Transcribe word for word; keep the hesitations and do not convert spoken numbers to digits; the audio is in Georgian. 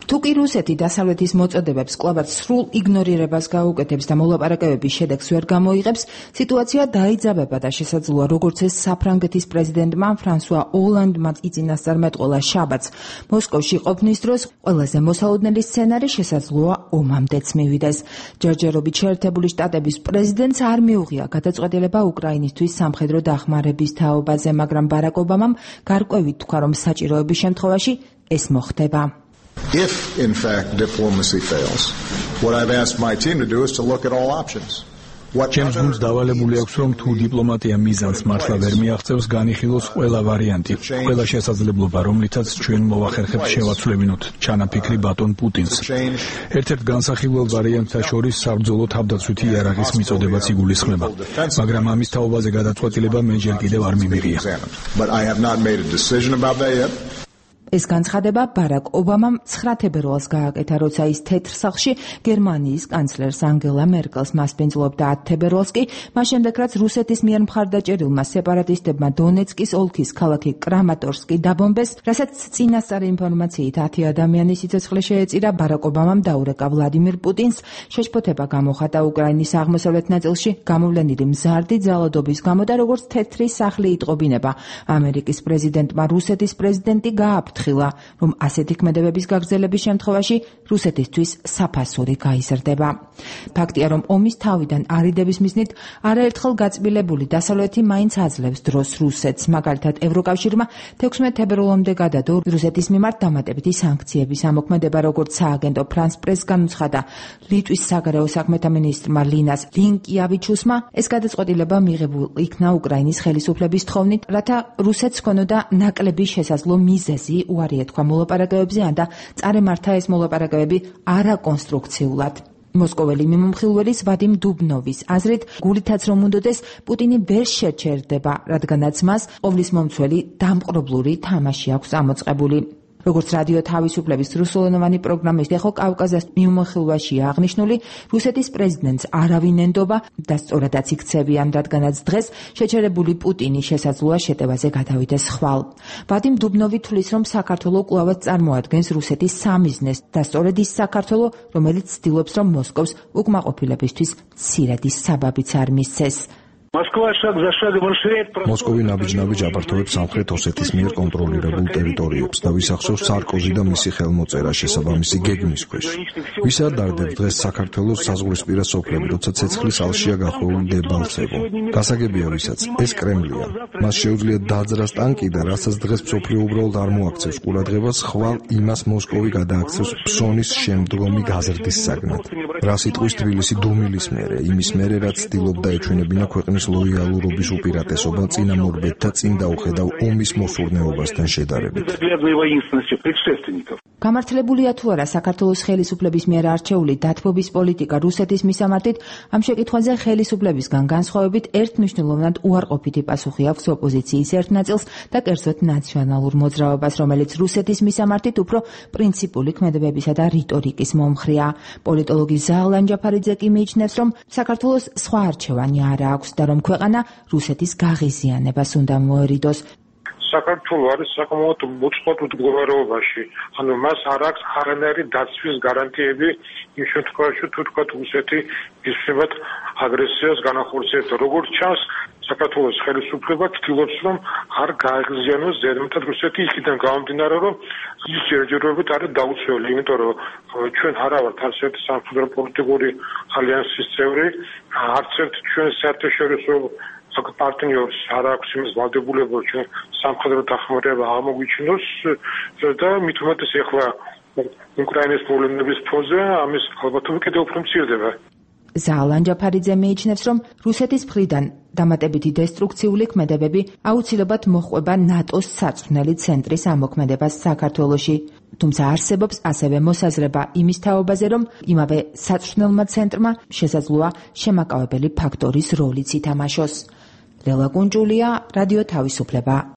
თუ კი რუსეთი დასავლეთის მოწოდებებს კლავად სრულ იგნორირებას გაუკეთებს და მოლაპარაკებების შედეგს ვერ გამოიღებს, სიტუაცია დაიძაბება და შესაძლოა, როგორც ეს საფრანგეთის პრეზიდენტმა ფრანსუა ოლანდმა იწინასწარმეტყველა შაბათს მოსკოვში ყოფნის დროს, ყველაზე მოსალოდნელი სცენარი შესაძლოა ომამდეც მივიდეს. ჯერჯერობით შეერთებული შტატების პრეზიდენტს არ მიუღია გადაწყვეტილება უკრაინისთვის სამხედრო დახმარების თაობაზე, მაგრამ ბარაკ ობამამ გარკვევით თქვა, რომ საჭიროების შემთხვევაში ეს მოხდება. If, in fact, diplomacy fails, what I've asked my team to do is to look at all options. ჩემს გუნდს დავალებული აქვს, რომ თუ დიპლომატია მიზანს მართლა ვერ მიაღწევს, განიხილოს ყველა ვარიანტი, ყველა შესაძლებლობა, რომლითაც ჩვენ მოვახერხებთ შევაცვლებინოთ ჩანაფიქრი ბატონ პუტინს. ერთ-ერთ განსახილველ ვარიანტთა შორის საბრძოლო თავდაცვითი იარაღის მიწოდებაც იგულისხმება, მაგრამ ამის თაობაზე გადაწყვეტილება მე ჯერ კიდევ არ მიმიღია. ეს განცხადება ბარაკ ობამამ ცხრა თებერვალს გააკეთა, როცა ის თეთრ სახლში გერმანიის კანცლერს ანგელა მერკელს მასპინძლობდა. ათ თებერვალს კი, მას შემდეგ რაც რუსეთის მიერ მხარდაჭერილმა სეპარატისტებმა დონეცკის ოლქის ქალაქი კრამატორსკი დაბომბეს, რასაც წინასწარი ინფორმაციით ათი ადამიანის სიცოცხლე შეეწირა, ბარაკ ობამამ დაურეკა ვლადიმირ პუტინს შეშფოთება გამოხატა უკრაინის აღმოსავლეთ ნაწილში გამოვლენილი მზარდი ძალადობის გამო და როგორც თეთრი სახლი იტყობინება, ამერიკის პრეზიდენტმა რუსეთის პრეზიდენტი გააფრთხილა, რომ ასეთი ქმედებების გაგრძელების შემთხვევაში რუსეთისთვის საფასური გაიზრდება. ფაქტია, რომ ომის თავიდან არიდების მიზნით არაერთხელ გაწმილებული დასავლეთი მაინც აძლევს დროს რუსეთს. მაგალითად, ევროკავშირმა თექვსმეტ თებერვალამდე გადადო რუსეთის მიმართ დამატებითი სანქციების ამოქმედება, როგორც სააგენტო ფრანს პრეს განუცხადა ლიტვის საგარეო საქმეთა მინისტრმა ლინას ლინკიავიჩუსმა. ეს გადაწყვეტილება მიღებულ იქნა უკრაინის ხელისუფლების თხოვნით, რათა რუსეთს ჰქონოდა ნაკლები შესაძლო მიზეზი უარი ეთქვა მოლაპარაკებებზე და წარემართა ეს მოლაპარაკებები არაკონსტრუქციულად. მოსკოველი მიმომხილველის ვადიმ დუბნოვის აზრით, გულითაც რომ უნდოდეს, პუტინი ვერ შეჩერდება, რადგანაც მას ყოვლის მომცველი დამპყრობლური თამაში აქვს ამოწყებული. როგორც რადიო თავისუფლების რუსულენოვანი პროგრამის ეხო კავკაზას მიმოხილვაშია აღნიშნული, რუსეთის პრეზიდენტს არავინ ენდობა და სწორადაც იქცევიან, რადგანაც დღეს შეჩერებული პუტინი შესაძლოა შეტევაზე გადავიდეს ხვალ. ვადიმ დუბნოვი თვლის, რომ საქართველო კვლავაც წარმოადგენს რუსეთის სამიზნეს და სწორედ ის საქართველო, რომელიც ცდილობს, რომ მოსკოვს უკმაყოფილებისთვის მცირედი საბაბიც არ მისცეს. მოსკოვი ნაბიჯ-ნაბიჯ აპართოვებს სამხრეთ ოსეთის მიერ კონტროლირებულ ტერიტორიებს და ვისახშობს სარკოზი და მისი ხელმოწერა შესაბამისი გეგმის ქვეშ. ვის არ დარდებს დღეს საქართველოს საზღვრისპირა სოფლები, როცა ცეცხლის ალშია გახვეული დებალცებო. გასაგებია ვისაც, ეს კრემლია. მას შეუძლია დაძრას ტანკი და რასაც დღეს მსოფლიო უბრალოდ არ მოაქცევს ყურადღებას, ხვალ იმას მოსკოვი გადააქცევს ფსონის შემდგომი გაზრდის საგნად. რა სიტყვის თბილისი დუმილის მერე, იმის მერე, რაც ცდილობდა ეჩვენებინა ქვეყნის ლოიალურობის უპირატესობა წინამორბედთა წინ დაუხედავ ომის მოსურნეობასთან შედარებით. გამართლებულია თუ არა საქართველოს ხელისუფლების მიერ არჩეული დათბობის პოლიტიკა რუსეთის მისამართით, ამ შეკითხვაზე ხელისუფლებისგან განსხვავებით ერთმნიშვნელოვნად უარყოფითი პასუხი აქვს ოპოზიციის ერთ ნაწილს და კერძოდ ნაციონალურ მოძრაობას, რომელიც რუსეთის მისამართით უფრო პრინციპული ქმედებებისა და რიტორიკის მომხრეა. პოლიტოლოგი ზაალ ანჯაფარიძე კი მიიჩნევს, რომ საქართველოს სხვა არჩევანი არ აქვს და რომ ქვეყანა რუსეთის გაღიზიანებას უნდა მოერიდოს. საქართველო არის საკმაოდ მოწყობილ მდგომარეობაში. ანუ მას არ აქვს არანაირი დაცვის გარანტიები იმ შემთხვევაში, თუ თქვა რუსეთი ისევად აგრესიას განახორციელებს. როგორც ჩანს, საქართველოს ხელისუფლება ცდილობს, რომ არ გააღიზიანოს ზედმეტად რუსეთი იქიდან გამომდინარე, რომ ის ჯერჯერობით არის დაუცველი, იმიტომ რომ ჩვენ არა ვართ არც ერთი სამხედრო პოლიტიკური ალიანსის წევრი, არც ერთ ჩვენ საერთაშორისო პარტნიორს არ აქვს იმის ვალდებულება, ჩვენ სამხედრო დახმარება აღმოგვიჩინოს და მით უმეტეს ეხლა უკრაინის პრობლემების ფონზე ამის ალბათობა კიდევ უფრო მცირდება. ზაალ ანჯაფარიძე მიიჩნევს, რომ რუსეთის მხრიდან დამატებითი დესტრუქციული ქმედებები აუცილებლად მოჰყვება ნატოს სარწმუნელი ცენტრის ამოქმედებას საქართველოში. თუმცა არსებობს ასევე მოსაზრება იმის თაობაზე, რომ იმავე სარწმუნელმა ცენტრმა შესაძლოა შემაკავებელი ფაქტორის როლიც ითამაშოს. ლელა კუნჭულია, რადიო თავისუფლება.